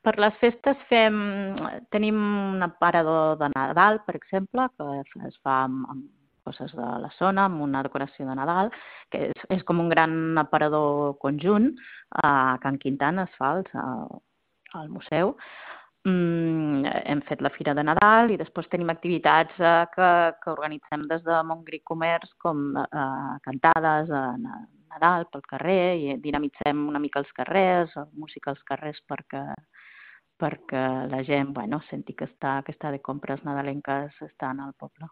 Per les festes tenim un aparador de Nadal, per exemple, que es fa amb coses de la zona, amb una decoració de Nadal, que és com un gran aparador conjunt. A Can Quintana es fa al museu. Hem fet la Fira de Nadal i després tenim activitats que organitzem des de Montgrí Comerç, com cantades a Nadal pel carrer, i dinamitzem una mica els carrers, música als carrers perquè la gent senti que està de compres nadalenques estant al poble.